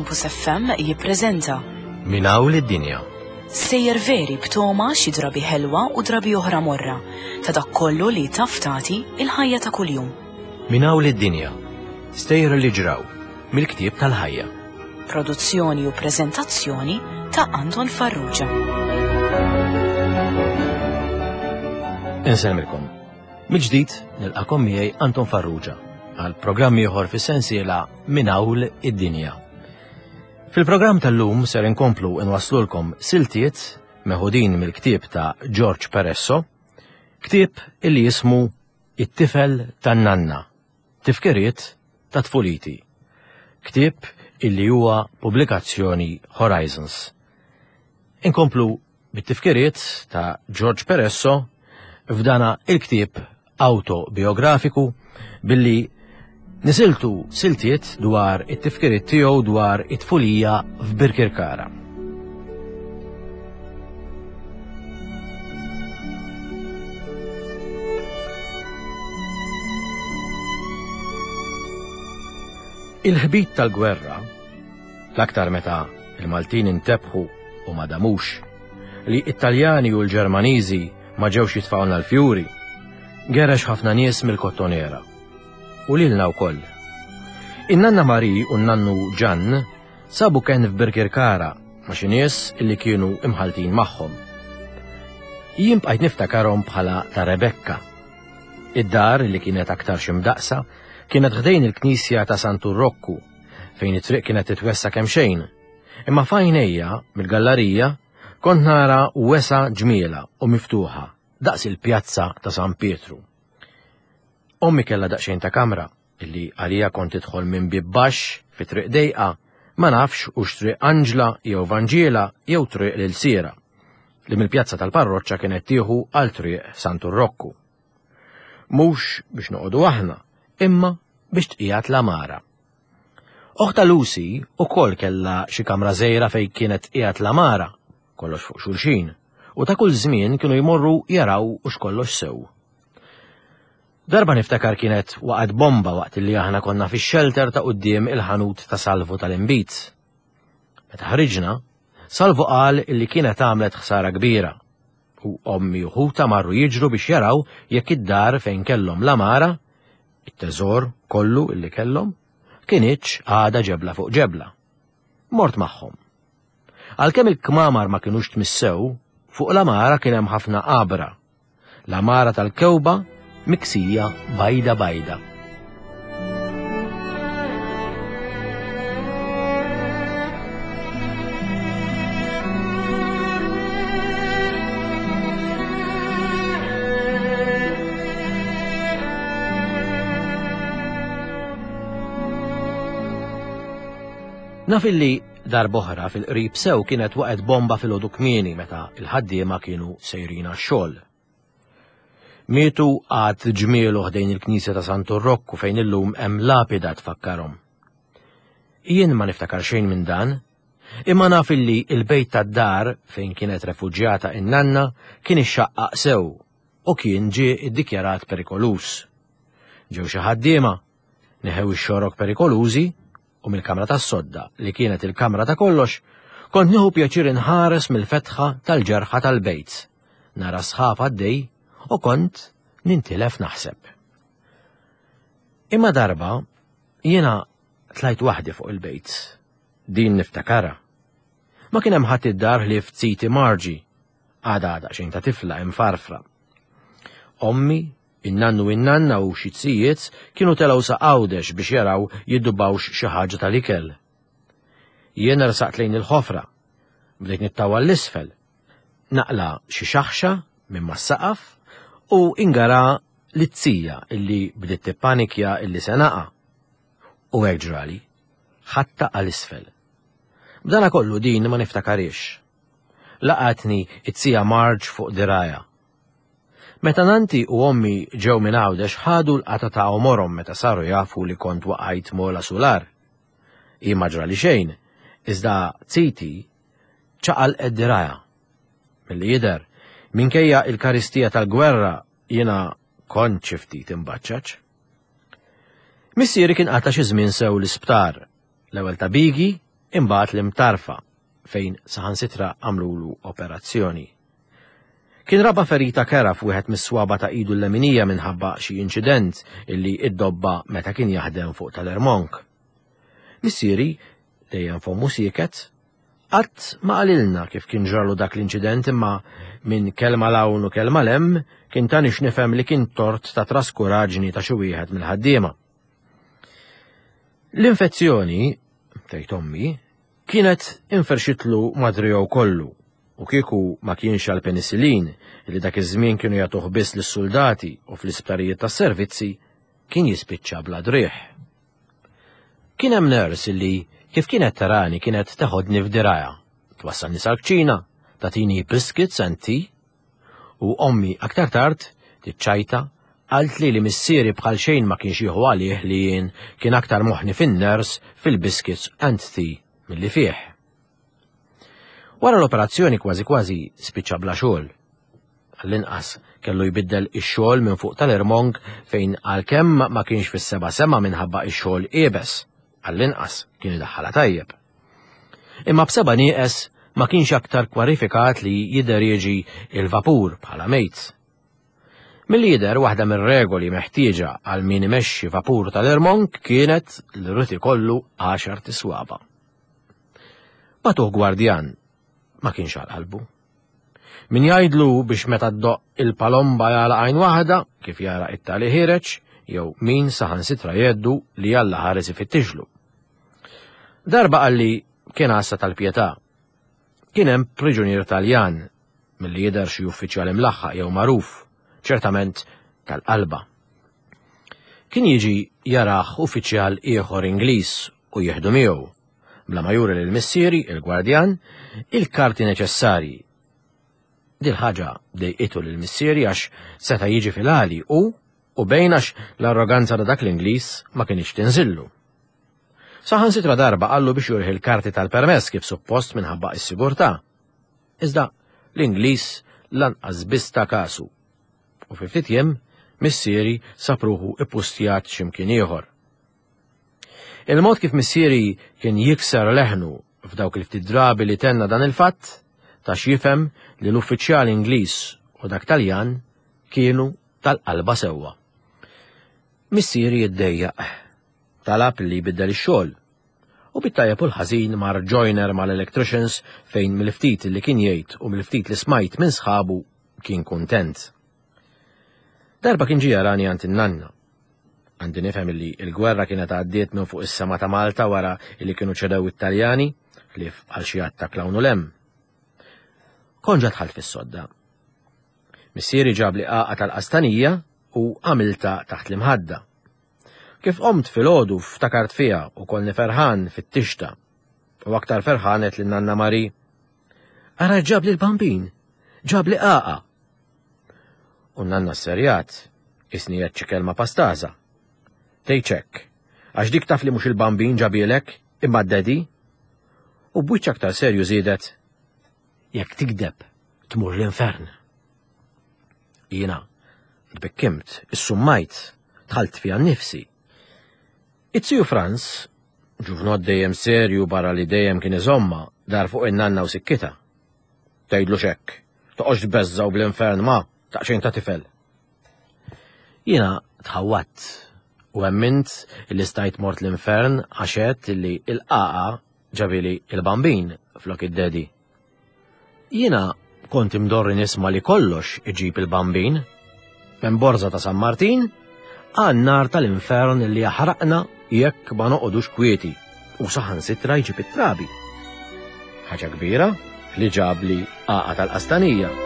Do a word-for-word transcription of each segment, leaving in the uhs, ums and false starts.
Campus F M jippreżenta Minn hawn id-dinja. Sejjer veri b'toma xi drabi ħelwa u drabi oħra morra ta' dak kollu li taf tagħti il-ħajja ta' kuljum. Minn hawn id-dinja. Stejjer li ġraw mill-ktieb tal-ħajja. Produzzjoni u preżentazzjoni ta' Anton Farrugia. Insellmilkom. Mill-ġdid nilqakom miegħi Anton Farrugia għal programm ieħor fis-sensiela Minn hawn id-dinja. Fil-programm tal-lum ser inkomplu nwaslulkom siltiet meħudin mill-ktieb ta' George Peresso, ktieb illi jismu It-tifel tan-nanna, tifkiriet ta' tfuliti. Ktieb illi huwa pubblikazzjoni Horizons. Inkomplu bit-tifkiriet ta' George Peresso f'dana il-ktieb autobiografiku billi nisiltu siltiet dwar it-tifkiriet tiegħu dwar it-tfulija f'Birkirkara. Il-ħbit tal-gwerra, l-aktar meta il-Maltin intebħu u ma damux, li Italjani u l-Ġermaniżi ma ġewx jitfgħulna l-fjuri, gerex ħafna nies mill-Kottonera. U lilna wkoll. In-nanna Mari u n-nannu Ġan sabu ken f'Birkirkara ma' xi nies illi kienu imħaltin magħhom. Jien bqajt niftakarhom bħala ta' Rebekka. Id-dar li kienet aktar xi mdaqsa kienet ħdejn il-knisja ta' Santu Rokku, fejn it-triq kienet titwessa kemm xejn. Imma f'għajnejja mill-gallarija kont nara wesgħa ġmiela u miftuħa daqs il-pjazza ta' San Pietru. Ommi kellha daqsxejn ta' kamra illi għalija kont tidħol minn bib baxx fi triq dejqa, ma nafx hux triq Anġla jew Vanġiela jew triq lil Sira, li mill-pjazza tal-parroċċa kienet tieħu għal triq Santu Rokku. Mhux biex noqogħdu aħna, imma biex tqiegħed l-għamara. Oħta Lucy ukoll kellha xi kamra żgħira fejn kienet qiegħed l-għamara, kollox fuq xulxin, u ta' kull żmien kienu jmorru jaraw u x'kollox sew. Darba niftakar kienet waqgħet bomba waqt li aħna konna fix-shelter ta' quddiem il-ħanut ta' Salvu tal-Inbid. Meta ħriġna, Salvu qal illi kienet għamlet ħsara kbira u ommi u ħuta marru jiġru biex jaraw jekk id-dar fejn kellhom l-għamara, it-teżor kollu illi kellhom, kinitx għada ġebla fuq ġebla. Mort magħhom. Għalkemm il-kmamar ma kinux tmissew, fuq l-għamara kien hemm ħafna għabra. L-għamara tal-kewba miksija bajda bajda. Naf illi darb'oħra fil-qrib sew kienet waqgħet bomba fil-għodu kmieni meta il-ħaddiema kienu sejrin għax-xogħol. Mietu għad ġmielu ħdejn il-knisja ta' Santu Rokku fejn illum hemm lapida tfakkarhom. Jien ma niftakar xejn minn dan, imma naf illi il-bejt tad-dar fejn kienet refuġjata in-nanna kien ixxaqqaq sew u kien ġie iddikjarat perikoluż. Ġew xi ħaddiema, neħew ix-xorok perikolużi u mill-kamra tas-sodda li kienet il-kamra ta' kollox, kont nieħu pjaċir inħares mill-fetħa tal-ġerħa tal-bejt. Nara sħab għaddej u kont nintilef naħseb. Imma darba jiena tlajt waħdi fuq il-bejt. Din niftakara. Ma kien hemm ħadd id-dar ħlief ziti Marġi, għada daqsxejn ta' tifla imfarfra. Ommi, in-nannu in-nanna u xi tzijiet kienu telgħu sa Għawdex biex jaraw jiddubawx xi ħaġa tal-ikel. Jiena rsaqt lejn il-ħofra, bdejt nittawal l-isfel, naqla xi xaħxa minn mas-saqaf u ingara l-tzzija illi bdiet tippanikja illi se naqa'. U hekk ġrali, ħatta għal isfel. B'dana kollu din ma niftakarix. Laqatni it-tzzija Marġ fuq diraja. Meta nanti u ommi ġew minn Għawdex ħadu l-qata ta' għomorhom meta saru jafu li kont waqajt mola sular. Hi ma ġrali xejn, iżda ziti ċaqalqet diraja. Milli jidher, minkejja il-karistija tal-gwerra jiena kont xi ftit imbaċċaċ. Missieri kien qata' xi żmien sew l-isptar, l-ewwel ta' Bigi Imbagħad l-Imtarfa fejn saħansitra għamlulu operazzjoni. Kien raba ferita kera f'wieħed mis-swaba ta' idu l-leminija minħabba xi inċident illi iddobba meta kien jaħdem fuq tal-Ermonk. Missieri, dejjem fommu sieket, qatt ma qalilna kif kien ġralu dak l-inċident imma minn kelma 'l hawn u kelma 'l hemm kien tani x'nifhem li kien tort ta' traskuraġni ta' xi wieħed mill-ħaddiema. L-infezzjoni, tgħid ommi, kienet inferxitlu madrijow kollu u kieku ma kienx għal penicillin li dak iż-żmien kienu jagħtuh biss lis-soldati u fl-isptarijiet tas-servizzi kien jispiċċa bla driegħ. Kien hemm nurse li kif kienet tarani kienet teħodni f'dirajha, twassalni sal-kċina, tagħtini biscuits and tea, u ommi aktar tard tiċċajta qalt li li missieri bħal xejn ma kienx jieħu għalih li jien kien aktar moħħni fin-nurse fil-biscuits and tea milli fih. Wara l-operazzjoni kważi kważi spiċċa bla xogħol. Għall-inqas kellu jbiddel ix-xogħol minn fuq tal-Irmonk fejn għalkemm ma kienx fis-seba' sema minħabba ix-xogħol iebes, għall-inqas kien idaħħalha tajjeb. Imma b'seba' nieqes ma kienx aktar kwalifikat li jidderieġi il-vapur bħala mate. Milli jidher waħda mir-regoli meħtieġa għal min imexxi vapur tal-Irmonk kienet li jrid ikollu għaxar t'iswaba'. Bagħtuh gwardjan ma kienx għal qalbu. Min jgħidlu biex meta ddoqq il-palomba jagħlaq għajn waħda, kif jara it-tali ħireġ, jew min saħansitra jgħidlu li Alla ħares ifittixlu. Darba qalli kien għassa tal-pjetà. Kien hemm priġunier Taljan milli jidher xi uffiċjali mlaħħaq jew magħruf, ċertament tal-qalba. Kien jiġi jaraħ uffiċjal ieħor Ingliż u jieħdu miegħu, bla ma juri lil missieri, il-gwardjan, il-karti neċessarji. Dil-ħaġa dejqitu lil missieri għax seta' jiġi fil-għali u u bejn għax l-arroganza ta' dak l-Ingliż ma kienx tinżillu. Saħansitra darba qallu biex jurih il-karti tal-permess kif suppost minħabba is-sigurtà. Iżda l-Ingliż lanqas biss ta kasu. U fi ftit jiem missieri sab ruħu ippustjat x'imkien ieħor. Il-mod kif missieri kien jikser leħnu f'dawk il-ftit drabi li tenna dan il-fatt, ta x'jifhem li l-uffiċjali Ingliż u dak Taljan kienu tal-qalba sewwa. Missieri jiddejjaq, talab li jbiddel ix-xogħol. U bit-tajjeb u l-ħażin mar joiner mal-electricians fejn mill-ftit li kien jgħid u mill-ftit li smajt minn sħabu kien kuntent. Darba kien ġie jarani għand in-nanna. Għandi nifhem li l-gwerra kienet għaddiet minn fuq is-sema ta' Malta wara li kienu ċedew it-Taljani, ħlief għal xi attakk 'l hawn u 'l hemm. Kont ġa dħalt fis-sodda. Missieri ġabli qagħqa tal-qastanija u għamilta taħt l-imħadda. Kif qomt filgħodu ftakart fiha u konni ferħan fit-tixta. U aktar ferħan għedt lin-nanna Mari. Ara ġabli l-Bambin, ġabli qagħqa. U nanna serjat, isni għedt xi kelma pastaża. Tgħidx hekk, għax dik taf li mhux il-Bambin ġabielek, imma d-daddy. U b'wiċċ aktar serju żiedet, jekk tigdeb, tmur l-infern. Jiena, tbikkimt, issummajt, dħalt fija nnifsi. It-tiju Franz, ġuvnot dejjem serju barra li dejjem kien iżomma, dar fuq in-nanna u sikkita. Tgħidlu xekk, toqgħodx tbeżżaw bl-infern ma, taqxejn ta' tifel. Jiena tħawwatt u emmint li stajt mort l-infern għax għedt li il-qagħqa ġabili il-Bambin flok id-daddy. Jiena kont imdorri nisma' li kollox iġib il-Bambin, minn borża ta' San Martin għan-nar tal-infern li jaħraqna jekk ma noqogħdux kwieti u saħansitra jġib it-trabi. Ħaġa kbira li ġabli qagħqa tal-qastanija.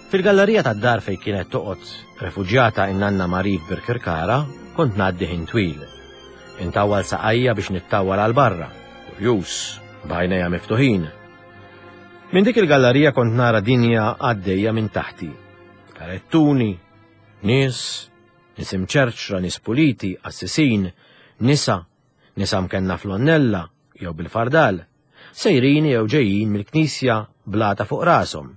Fil-gallerija tad-dar fejn kienet toqgħod refuġjata in-nanna Marie f'Birkirkara, kont ngħaddi ħin twil. Intawwal saqajja biex nittawwal għal barra, kurjuż, b'għajnejja miftuħin. Minn dik il-gallerija kont nara dinja għaddejja minn taħti. Karettuni, nies, nies imċerċra, nies puliti, qassisin, nisa, nisa mkenna fl-onnella jew bil-fardal, sejrin jew ġejjin mill-knisja blata fuq rashom.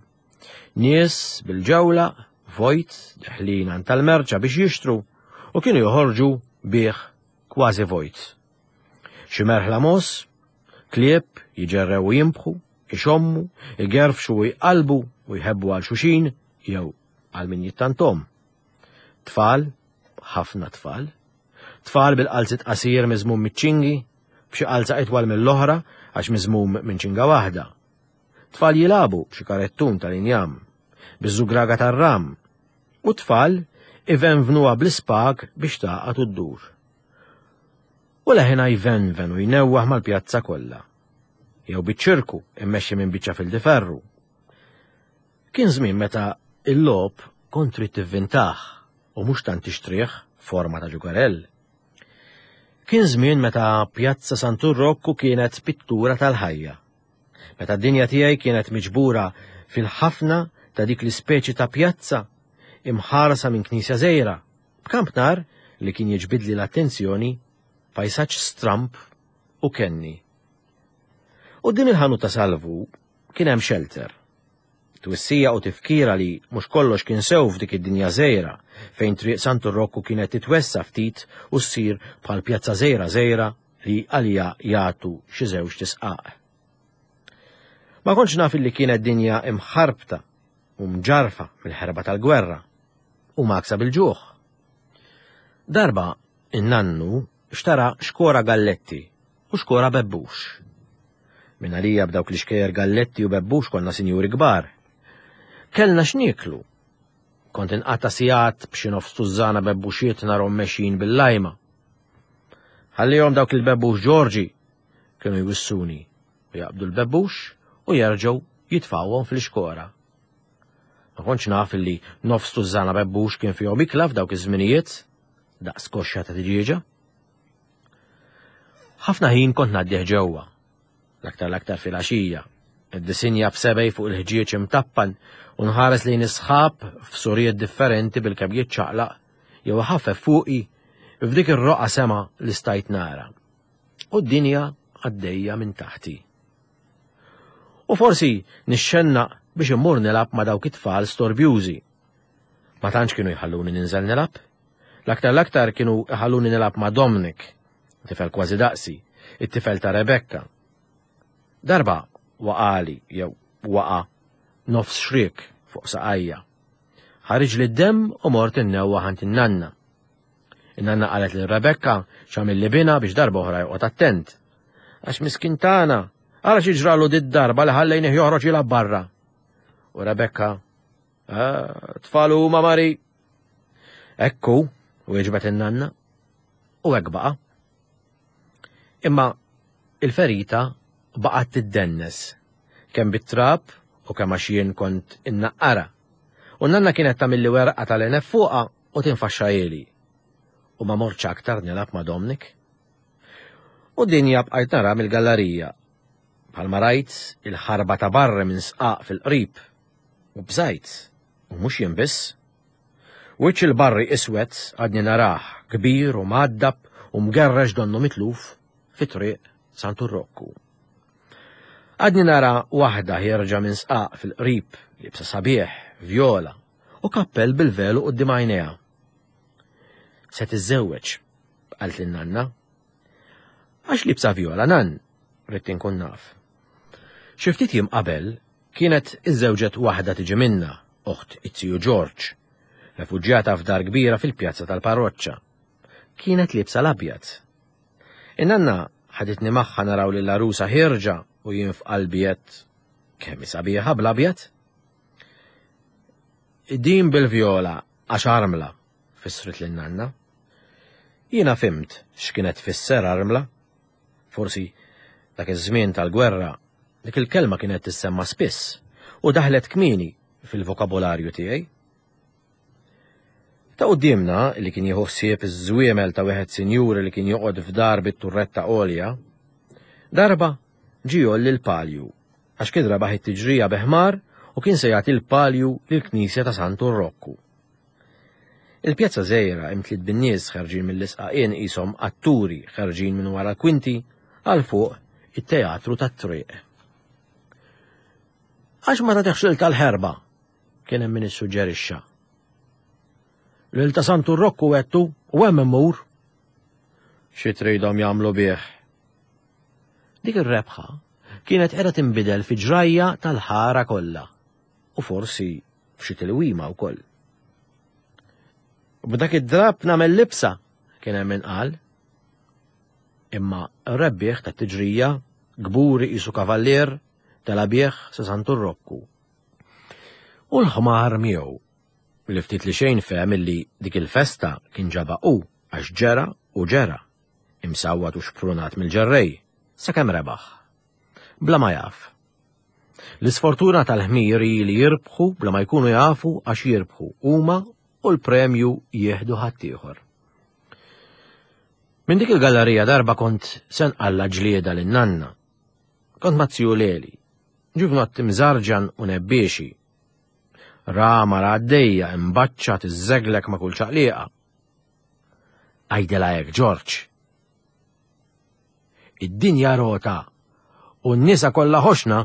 Nies bil-ġewla, vojt, deħlin għand tal-merċa biex jixtru u kienu joħorġu bih kważi vojt. Xi merħla mos, klieb jiġerrew u jimbħu, ixommu, igerfxu u jqalbu u jħebbu għal xuxin jew għal min jittantom. Tfal, ħafna tfal. Tfal bil-qalzit qasir miżmum miċ-ċingi, b'xi qalza itwal mill-oħra għax miżmum minn ċinga waħda. Tfal jilabu b'xi karettun tal-injam, biż-żugraga tar-ram, u tfal ivenvnuha bl-ispag biex tagħqad u ddur. U leħina jvenven u jnewwaħ mal-pjazza kollha. Jew biċ-ċirku immexxi minn biċċa fil-diferru. Kien żmien meta il-logħob kont trid tivvintah u mhux tant tixtrih forma ta' ġugarell. Kien żmien meta Pjazza Santu Rokku kienet pittura tal-ħajja. Meta d-dinja tiegħi kienet miġbura fil-ħafna ta' dik l-ispeċi ta' pjazza imħarsa minn knisja żgħira, b'kampnar li kien jiġbidli l-attenzjoni, pajsaġġ stramp u kenni. U din il-ħanut ta' Salvu kien hemm shelter. Twissija u tifkira li mhux kollox kien sew f'dik id-dinja żgħira fejn triq Santu Rokku kienet titwessa ftit u ssir bħal pjazza żgħira żgħira li għalija jagħtu xi żewġ tisqaq. Ma kontx naf li kienet dinja imħarbta u mġarfa mill-ħerba tal-gwerra u maksa bil-ġuħ. Darba in-nannu xtara xkora galletti u xkora bebbux. Min għalija b'dawk li xkejjer galletti u bebbux konna sinjuri kbar. Kellna x'nieklu. Kont inqatta' sigħat b'xi nofs tużżana bebbuxiet narhom mexjin bil-lajma. Ħallihom dawk il-bebbux Ġorġi kienu jwissuni u jaqbdu l-bebbux u jerġgħu jitfgħuhom fil-xkora. Ma kontx naf illi nofs tużżana bebbux kien fihom ikla f'dawk iż-żminijiet daqs koxxa ta' tiġieġa. Ħafna ħin kont ngħaddih ġewwa, l-aktar l-aktar fil-għaxija, id-disinja b'sebej fuq il-ħġieġ imtappan u nħares lejn is-sħab f'surijiet differenti bil-kemm jiċċaqlaq jew ħaffef fuqi f'dik ir-roqa sema li stajt nara. U d-dinja għaddejja minn taħti. U forsi nixxennaq biex immur nilgħab ma' dawk it-tfal storbjużi. Ma tantx kienu jħalluni ninżel nilgħab. L-aktar l-aktar kienu jħalluni nilgħab ma' Dominic, tifel kważi daqsi, it-tifel ta' Rebecca. Darba waqali jew waqa nofs xrik fuq saqajja. Ħariġ li d-dem u mort innewwa ħant in-nanna. In-nanna qalet lil Rebecca x'għamil li bina biex darba oħra joqgħod attent. Għax miskin tagħna, ara xi ġralu did-darba li ħallejnih joħroġ jilgħab barra. U Rebecca, tfal huma Mari. Ekku, wieġbet in-nanna. U hekk baqa'. Imma il-ferita baqgħet tiddennes, kemm bit-trab u kemm għax jien kont innaqqara. U nanna kienet tagħmilli werqa tal-enef fuqha u tinfaxxahieli. U ma mortx aktar nilgħab ma' Dominic. U dinja bqajt nara mill-gallerija. Bħalma rajt il-ħarba ta' barra minn sqaq fil-qrib. U bżajt, u mhux jien biss. Wiċċ il-barri iswed għadni narah, kbir u mgħaddab u mgerrex donnu mitluf fi triq Santu Rokku. Għadni nara waħda ħierġa minn sqaq fil-qrib, libsa sabiħ, vjola, u kappell bil-velu quddiem għajnejha. Se tiżżewweġ, qalt lin-nanna. Għax libsa vjola, nan, ridt inkun naf. Xi ftit jiem qabel kienet iżżewġet waħda tiġi minna, oħt it-tiju George, refuġjata f'dar kbira fil-pjazza tal-parroċċa. Kienet libsa l-abjad. In-nanna ħaditni magħha naraw lil għarusa ħierġa u jien f'qalbi għedt kemm hi sabiħa bl-abjad. Din bil-vjola għax armla, fissret lin nanna. Jiena fimt x'kienet tfisser armla. Forsi dak iż-żmien tal-gwerra dik il-kelma kienet tissemma spiss u daħlet kmieni fil-vokabolarju tiegħi. Ta' quddiemna li kien jieħu ħsieb iż-żwiemel ta' wieħed sinjuri li kien joqgħod f'dar bit-turretta għolja, darba ġie jgħolli l-palju għax kien rebaħ it-tiġrija bi ħmar u kien se jagħti l-palju lill-knisja ta' Santu Rokku. Il-pjazza żgħira imtliet bin-nies ħerġin mill-isqaqien qishom atturi ħerġin minn wara l-kwinti għal fuq it-teatru tat-triq. Għax ma tagħtihx lil tal-Ħerba, kien hemm min issuġġerixxa. Lil ta' Santu Rokku għedtu u hemm immur. Xi tridhom jagħmlu bih? Dik ir-rebħa kienet qiegħda tinbidel fi ġrajja tal-ħara kollha u forsi f'xi tilwima wkoll. B'dak id-drapp nagħmel libsa, kien hemm min qal. Imma r-rebbieħ tat-tiġrija, kburi qisu kavallier, tela' bih sa Santu Rokku. U l-ħmar miegħu, li ftit li xejn fehem illi dik il-festa kien ġabha hu għax ġera u ġera, imsawwat u xprunat mill-ġerrej, sakemm rebaħ. Bla ma jaf. L-isfortuna tal-ħmir hi li jirbħu bla ma jkunu jafu għax jirbħu huma u l-premju jieħdu ħaddieħor. Minn dik il-gallerija darba kont se nqalla' ġlieda lin-nanna. Kont ma' ziju Leli, ġuvnott imżarġan u nebbiexi. Ra mara għaddejja imbaċċa tiżżeglek ma' kull ċaqliqa. Għidilha hekk, Ġorġ. Id-dinja rota u n-nisa kollha ħoxna.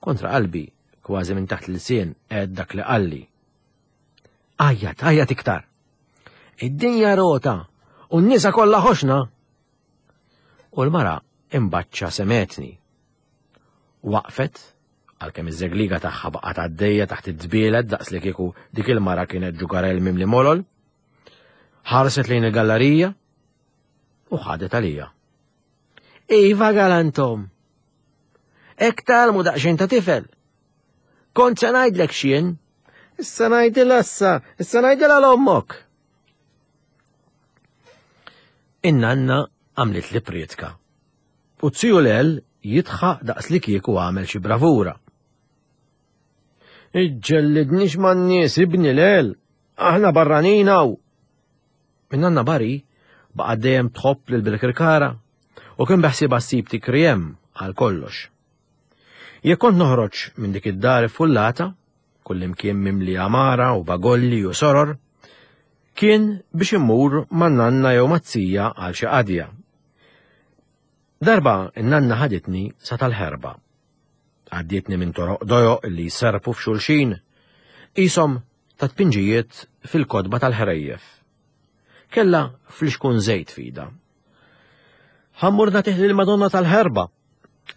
Kontra qalbi, kważi minn taħt l-sien, għedt dak li qalli. Għajjat, għajjat iktar. Id-dinja rota u n-nisa kollha ħoxna. U l-mara imbaċċa semgħetni. Waqfet, għalkemm iż-żegliga tagħha baqgħet għaddejja taħt id-dbielet daqs li kieku dik il-mara kienet ġugarell mimli molol. Ħarset lejn il-gallerija u ħadet għalija. Iva galantom. Hekk tgħallmu daqsxejn ta' tifel. Kont se ngħidlek x'jien. Issa ngħidilha issa, issa ngħidilha 'l ommok. In-nanna għamlet li prietka. U ziju Lel jidħaq daqs li kieku għamel xi bravura. Iġġellidnix man-nies ibni Lel, aħna barranin hawn. In-nanna Bari baqgħet dejjem tħobb lil Birkirkara u kien beħsiebha ssib tikri hemm għal kollox. Jekk kont noħroġ minn dik id-dar iffullata, kullimkien mimli għamara u bagolli u soror, kien biex immur man-nanna jew maz-zija għal xi qadja. Darba n-nanna ħaditni sa tal-Ħerba. Għaddietni minn toroq dojoq li jserpu f'xulxin, qishom ta' tpinġijiet fil-kotba tal-ħrejjef. Kella flixkun żejt f'idha. Ħa mmur nagħtih lill-Madonna tal-Ħerba,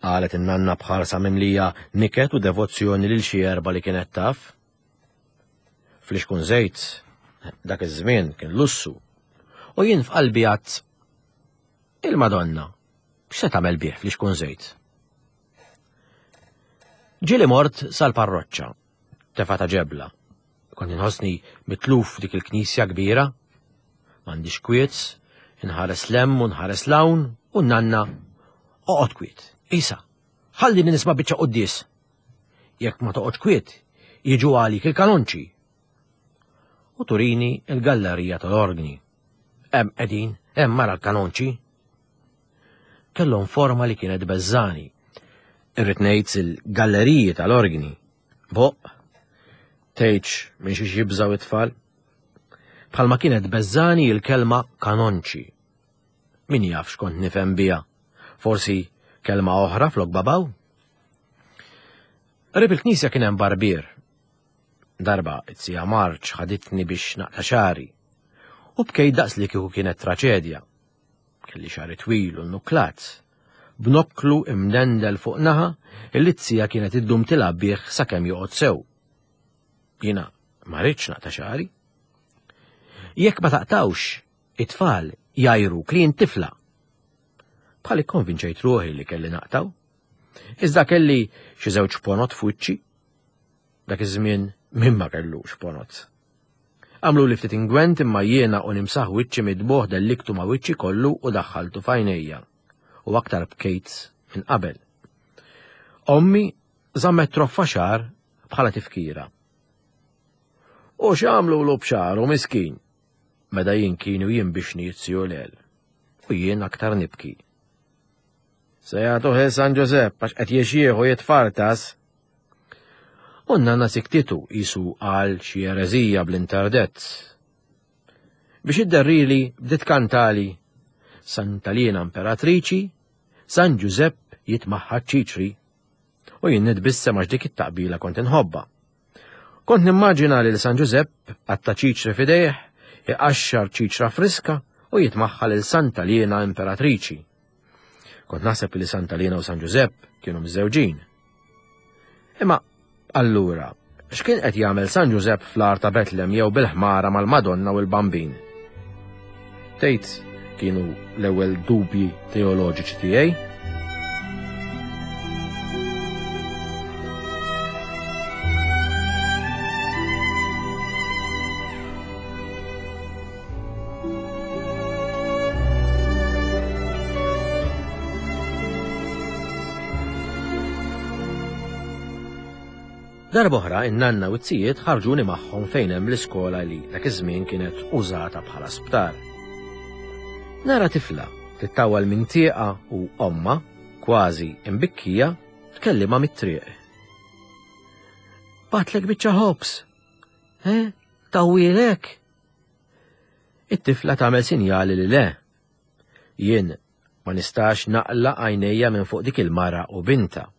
qalet in-nanna b'ħarsa mimlija niket u devozzjoni lil xi erba li kienet taf. Flixkun żejt dak iż-żmien kien lussu, u jien f'qalbi għedt il-Madonna x'se tagħmel bih flixkun żejt? Ġieli mort sal-parroċċa, tefa ta' ġebla. Kont inħossni mitluf dik il-knisja kbira. M'għandix kwiet, inħares 'l hemm u nħares 'l hawn u n-nanna oqgħod kwiet. Isa, ħallini nisma' biċċa quddies. Jekk ma toqgħodx kwiet, jiġu għalik il-kanonċi. U turini il-gallerija tal-organi. Hemm qegħdin, hemm mara l-kanonċi. Kellhom forma li kienet beżżani. Irrid ngħid il-galleriji tal-organi. Boq, tgħidx minn xiex jibżaw it-tfal. Bħalma kienet beżżani il-kelma kanonċi. Min jaf x'kont nifhem biha. Forsi kelma oħra flok babaw? Qrib il-knisja kien hemm barbier. Darba it-sija Marċ ħaditni biex naqta' xagħri. U bkejt daqs li kieku kienet traċedja. Kelli xagħri twil u nuklat. B'nokklu imdendel fuq naħa illi t-sija kienet iddum tilgħab bih sakemm joqgħod sew. Jiena ma rridx naqta' xagħri. Jekk ma taqtawx, it-tfal jgħajruk li int tifla. Bħal ikkonvinċejt ruħi li kelli naqtaw. Iżda kelli xi żewġ ponot f'wiċċi. Dak iż-żmien min ma kellux ponot. Għamlu li ftit ingwent imma jiena u nimsaħ wiċċi midbuħ delliktu ma' wiċċi kollu u daħħaltu f'għajnejja. U aktar bkejt minn qabel. Ommi żammet troffa xagħar bħala tifkira. U x'għamlu b'xagħru miskin? Meda jien kienu jinbixni jitziju Lel. U jien aktar nibki. Se jagħtuh San Ġużepp għax qed jixjieħ u jitfartas. U n-nanna siktitu qisu għal xi ereżija bl-interdett. Biex idderrili bdiet kantali Santa Lina Imperatriċi, San Ġużepp jitmaħħa ċiċri. U jien nitbissem għax dik it-taqbila kont inħobbha. Kont nimmaġina lil San Ġużepp għatta ċiċri f'idejh, iqaxxar ċiċra friska u jitmaħħa lil Santa Liena Imperatriċi. Kont naħseb li Santa Liena u San Ġużepp kienu miżżewġin. Imma allura, x'kien qed jagħmel San Ġużepp fl-għar ta' Betlem jew bil-ħmara mal-Madonna u l-Bambin? Tgħid kienu l-ewwel dubji teoloġiċi tiegħi? Darb'oħra in-nanna u t-sijiet ħarġuni magħhom fejn hemm l-iskola li dak iż-żmien kienet użata bħala sptar. Nara tifla tittawal minn tieqa u omma, kważi imbikkija, tkellimha mit-triq. Batlek biċċa ħobż. Eh, tawwielek? It-tifla tagħmel sinjali li le. Jien ma nistax naqla għajnejja minn fuq dik il-mara u binta.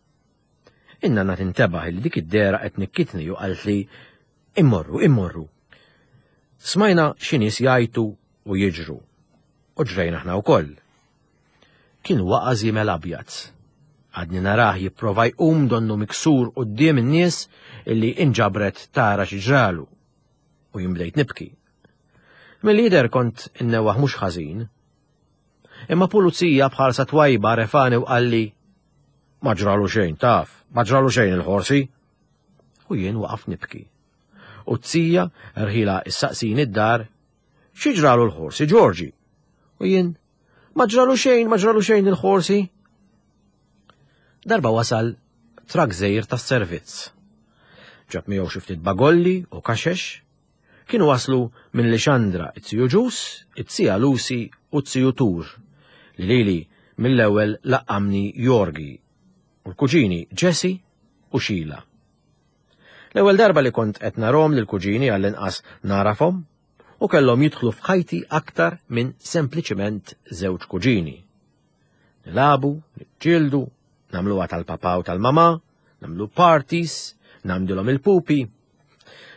In-nanna tintebaħ li dik id-dehra qed nikkitni u qaltli immorru, immorru. Smajna xi nies jgħajtu u jiġru. U ġrejna aħna wkoll. Kien waqa' żiemel abjad. Għadni narah jipprova jqum donnu miksur quddiem in-nies illi inġabret tara xi ġralu. U jien bdejt nibki. Mill-lider kont innewaħ mhux ħażin. Imma pulizija bħalsa twajba refani u qalli ma ġralu xejn, taf, ma ġralu xejn il-ħorsi. U jien waqaf nibki. U t-tija rħila issaqsini id-dar, xi ġralu l-ħorsi, Ġorġi? U jien, ma ġralu xejn, ma ġralu xejn il-ħorsi. Darba wasal trak żgħir tas-servizz. Ġab miegħu xi ftit bagolli u kaxex. Kienu waslu minn Lixandra it-tiju Ġus, it-tija Lucy u t-tiju Tur, li lili mill-ewwel laqqamni Jorgi, u l-kuġini Jesse u Sheila. L-ewwel darba li kont qed narhom lill-kuġini għall-inqas narafhom u kellhom jidħlu f'ħajti aktar minn sempliċiment żewġ kuġini. Nilagħbu, niġġieldu, nagħmluha tal-papà u tal-mamà, nagħmlu parties, nagħmdilhom il-pupi.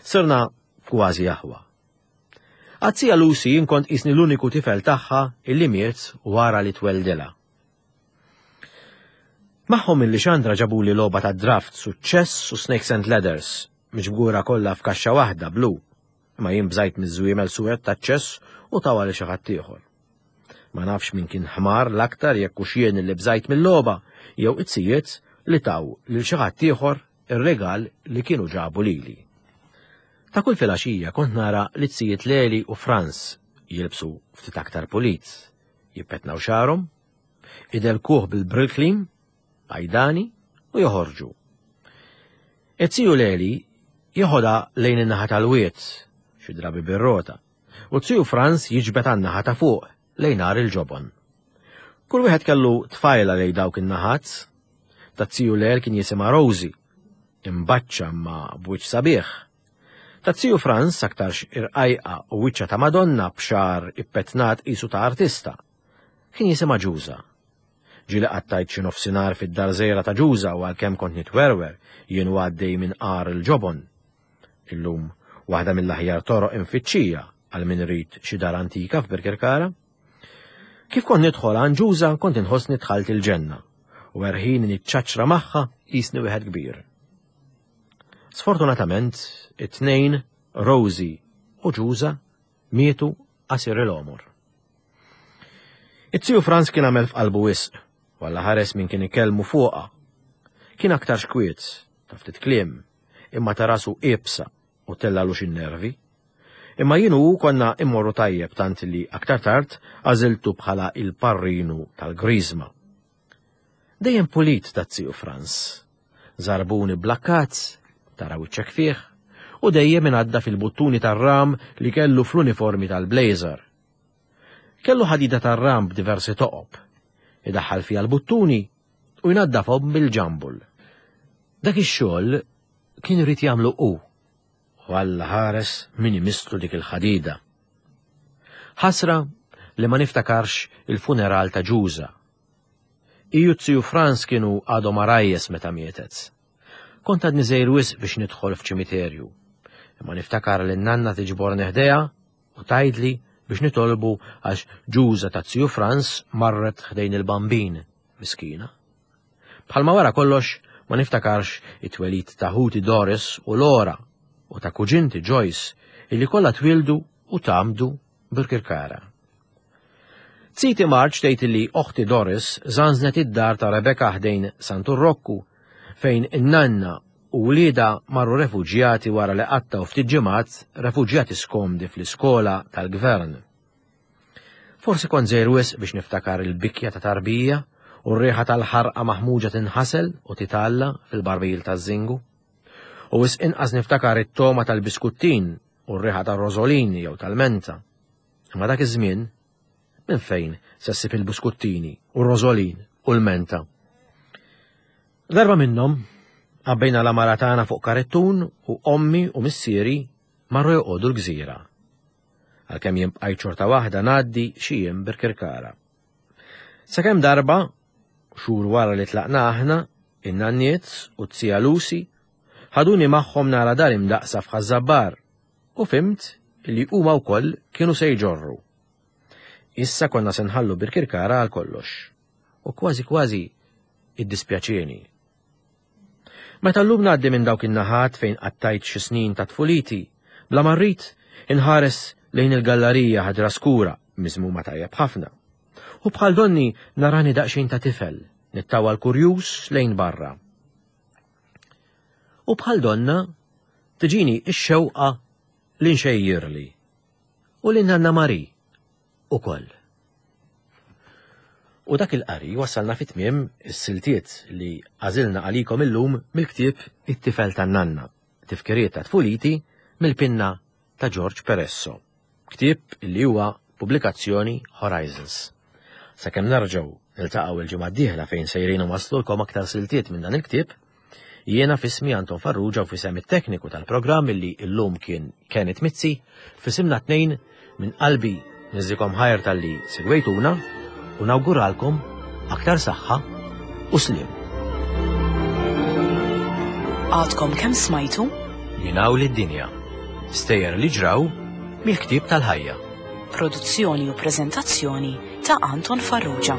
Sirna kważi aħwa. Għat-tija Lucy jien kont qisni l-uniku tifel tagħha illi miet wara li tweldilha. Magħhom minn Lixandra ġabuli logħba ta' draft suċċess u Snakes and Ladders, miġbura kollha f'kaxxa waħda blu, imma jien bżajt miż-żwiemel suwed ta' ċess u tawha lil xi ħadd ieħor. Ma nafx min kien ħmar l-aktar jekk hux jien li bżajt mill-logħba jew it-sijiet li taw lil xi ħadd ieħor ir-regal li kienu ġabu lili. Ta' kull filgħaxija kont nara li t-sijiet Leli u Franz jilbsu ftit aktar pulit, jippetnaw xagħarhom, idelkuh bil-Brylcreem, għajdani u joħorġu. It-tiju Leli jeħodha lejn in-naħa tal-wied, xi drabi bir-rota, u t-tiju Franz jiġbed għan-naħa ta' fuq lejn għar il-ġobon. Kull wieħed kellu tfajla lejn dawk in-naħat. Tat-tiju Lel kien jisimha Rosie, imbaċċa ma b'wiċċ sabiħ. Tat-tiju Franz aktarx irqajqa u wiċċa ta' Madonna b'xagħar ippetnat qisu ta' artista. Kien jisimha Ġuża. Ġieli qattajt xi nofsinhar fid-dar żgħira ta' Ġuża u għalkemm kont nitwerwer jien għaddej minn qar il-ġobon. Illum waħda mill-aħjar toroq infittxija għal min irid xi dar antika f'Birkirkara. Kif kont nidħol għand Ġuża kont inħossni dħalt il-ġenna u erħin niċċaċra magħha qisni wieħed kbir. Sfortunatament, it-tnejn, Rosie u Ġuża, mietu qasir il-għomor. It-tiju Franz kien għamel f'qalbu wisq, walla ħares min kien ikellmu fuqha. Kien aktar xkwiet, ta' ftit kliem, imma ta' rasu iebsa u tellalu xi nervi. Imma jien u konna immorru tajjeb tant li aktar tard għażiltu bħala il-parrinu tal-Griżma. Dejjem pulit ta' tiju Franz. Żarbuni blakkat, tara wiċċek fih, u dejjem ingħadda fil-buttuni tar-ram li kellu fl-uniformi tal-blazer. Kellu ħadida tar-ram b'diversi toqob, idaħħal fiha l-buttuni u jnaddafhom bil-ġambul. Dak ix-xogħol kien irid jagħmlu hu, u Alla ħares min imisslu dik il-ħadida. Ħasra li ma niftakarx il-funeral ta' Ġuża. Iju t-tiju Franz kienu għadhom arajjes meta mietet. Kont għadni żgħir wisq biex nidħol f'ċimiterju. Imma niftakar li n-nanna tiġborni ħdejha u tgħidli biex nitolbu għax ġuża ta' Ziju Franz marret ħdejn il-Bambin, miskina. Bħalma wara kollox ma niftakarx it-twelid ta' ħuti Doris u Lora u ta' kuġinti Joyce illi kollha twildu u tgħammdu Birkirkara. Ziti Marġ tgħid li oħti Doris żanżnet id-dar ta' Rebecca ħdejn Santu Rokku fejn in-nanna u wliedha marru refuġjati wara li qattgħu ftit ġimgħat refuġjati skomdi fl-iskola tal-gvern. Forsi kont żgħir wisq biex niftakar il-bikja ta' tarbija u r-riħa tal-ħarqa maħmuġa tinħasel u titgħalla fil-barbil taż-żingu. U wisq inqas niftakar it-togħma tal-biskuttin u r-riħa tar-rożolin jew tal-menta. Imma dak iż-żmien minn fejn se ssib il-biskuttini u r-rożolin u l-menta? Darba minnhom għabbejna l-għamara tagħna fuq karettun u ommi u missieri marru joqogħdu l-gżira. Għalkemm jien bqajt xorta waħda ngħaddi xi jiem Birkirkara. Sakemm darba, xhur wara li tlaqna aħna, in-nanniet u t-tija Lucy ħaduni magħhom nara dar imdaqsa f'Ħaż-Żabbar u fhimt li huma wkoll kienu se jġorru. Issa konna se nħallu Birkirkara għal kollox. U kważi kważi iddispjaċieni. Meta llum ngħaddi minn dawk in-naħat fejn qattajt xi snin ta' tfuliti, bla ma rrid inħares lejn il-gallarija ħadra skura miżmuma tajjeb ħafna. U bħal donni narani daqsxejn ta' tifel, nittawal kurjuż lejn barra. U bħal donna tiġini x-xewqa li nxejjirli u li nanna Mari ukoll. U dak il-qari wasalna fi tmiem is-siltiet li għażilna għalikom illum mill-ktieb It-Tifel tan-Nanna, tifkiriet ta' tfuliti mill-pinna ta' George Peresso. Ktieb li huwa pubblikazzjoni Horizons. Sakemm nerġgħu niltaqgħu il-ġimgħa d-dieħla fejn sejrin waslulkom aktar siltiet minn dan il-ktieb, jiena f'ismi Anton Farrugia u f'isem it-tekniku tal-programm illi llum kien Kenneth Mizzi, f'isimna tnejn minn qalbi niżżikom ħajr talli segwejtuna u nawguralkom aktar saħħa u sliem. Għadkom kemm smajtu? Minn hawn lid-dinja. Stejjer li ġraw mill-ktieb tal-ħajja. Produzzjoni u preżentazzjoni ta' Anton Farrugia.